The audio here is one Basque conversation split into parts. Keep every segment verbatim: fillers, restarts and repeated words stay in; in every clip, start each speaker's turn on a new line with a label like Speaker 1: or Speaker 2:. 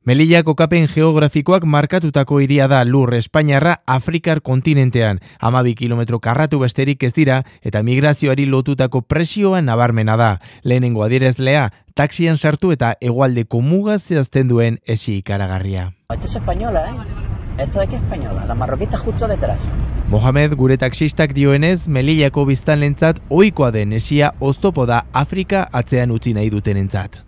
Speaker 1: Melilla kokapen geografikoak markatutako hiria da lur Espainiarra Afrikar kontinentean. hamabi kilometro karratu besterik ez dira eta migrazioari lotutako presioa nabarmena da. Lehenengo adierazlea, taxian sartu eta hegoaldeko muga zehazten duen esi ikaragarria.
Speaker 2: Esto es española, ¿eh? Esto de aquí es española, la marroquita justo detrás.
Speaker 1: Mohamed gure taxistak dioenez, Melillako biztanlentzat ohikoa den esia oztopo da Afrika atzean utzi nahi dutenentzat.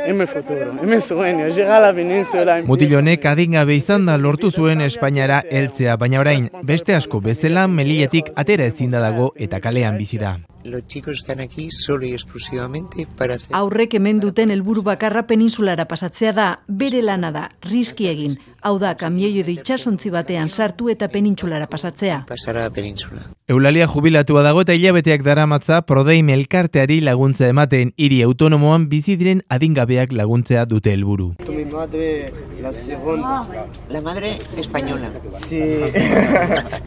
Speaker 3: Es mi futuro, es mi sueño, llegar a la península.
Speaker 1: Mutilonek adingabe izan da lortu zuen Espainiara heltzea, baina orain beste asko bezala Melillatik atera ezin da dago eta kalean bizi da.
Speaker 4: Los chicos están aquí solo y exclusivamente para hacer...
Speaker 5: Aurrek hemen duten helburu bakarra peninsulara pasatzea da, bere lana da, riski egin. Hau da, kamioio edo itsasontzi batean sartu eta penintsulara pasatzea.
Speaker 4: Pasar a la península.
Speaker 1: Eulalia jubilatua dago eta hilabeteak daramatza Prodeim elkarteari laguntza ematen hiri autonomoan bizi diren adingabeak laguntzea dute helburu.
Speaker 3: Mi madre, la segunda.
Speaker 4: La madre española.
Speaker 3: Sí.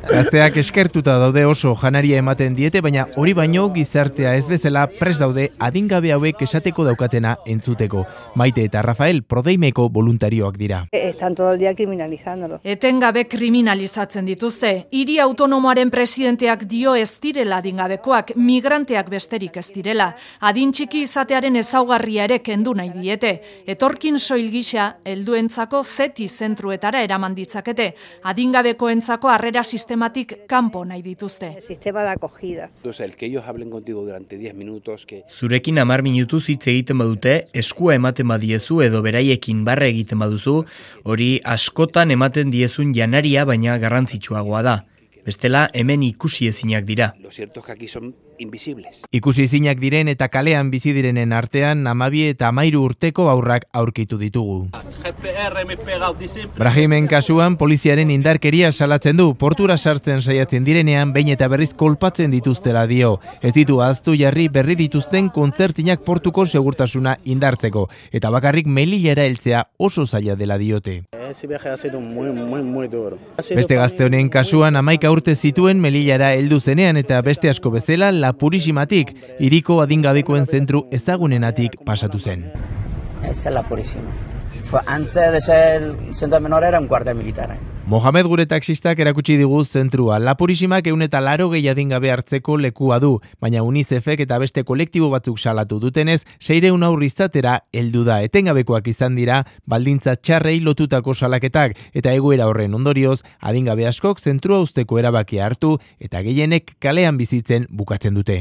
Speaker 1: Gazteak eskertuta daude oso janaria ematen diete, baina hori baino gizartea ez bezala prest daude adingabe hauek esateko daukatena entzuteko. Maite eta Rafael Prodeimeko voluntarioak dira.
Speaker 6: Están todo el día criminalizándolo.
Speaker 7: Etengabe kriminalizatzen dituzte. Hiri autonomoaren presidenteak dio ez direla adingabekoak, migranteak besterik ez direla. Adin txiki izatearen ezaugarria ere kendu nahi diete. Etorkin soil gisa helduentzako zeti zentruetara eraman ditzakete. Adingabekoentzako harrera sistematik kanpo nahi dituzte.
Speaker 6: El sistema de acogida.
Speaker 8: Entonces, el que ellos hablen contigo durante diez minutos que
Speaker 9: Zurekin hamar minutuz hitz egiten badute, eskua ematen badiezu edo beraiekin barra egiten baduzu, hori askotan ematen diezun janaria baina garrantzitsuagoa da. Bestela hemen ikusi ezinak dira.
Speaker 8: lo cierto es que aquí son invisibles.
Speaker 1: Ikusi ezinak diren eta kalean bizi direnen artean hamabi eta hamairu urteko haurrak aurkitu ditugu. Brahimen kasuan poliziaren indarkeria salatzen du, portura sartzen saiatzen direnean behin eta berriz kolpatzen dituztela dio. Ez ditu ahaztu jarri berri dituzten kontzertinak portuko segurtasuna indartzeko eta bakarrik Melillara heltzea oso zaila dela diote.
Speaker 3: Ese viaje ha sido muy, muy, muy duro.
Speaker 1: Beste gazte honen kasuan hamaika urte zituen Melillara heldu zenean eta beste asko bezala La Purisimatik, hiriko adingabekoen zentru ezagunenatik pasatu zen.
Speaker 2: Esa es la Purísima. Fue antes de ser centro de menores era un cuartel militar. ¿eh?
Speaker 1: Mohamed gure taxistak erakutsi digu zentrua. La Purisimak ehun eta laurogei adingabe hartzeko lekua du, baina UNICEFek eta beste kolektibo batzuk salatu dutenez, seiehun haur izatera heldu da. Etengabekoak izan dira, baldintza txarrei lotutako salaketak, eta egoera horren ondorioz, adingabe askok zentrua uzteko erabakia hartu, eta gehienek kalean bizitzen bukatzen dute.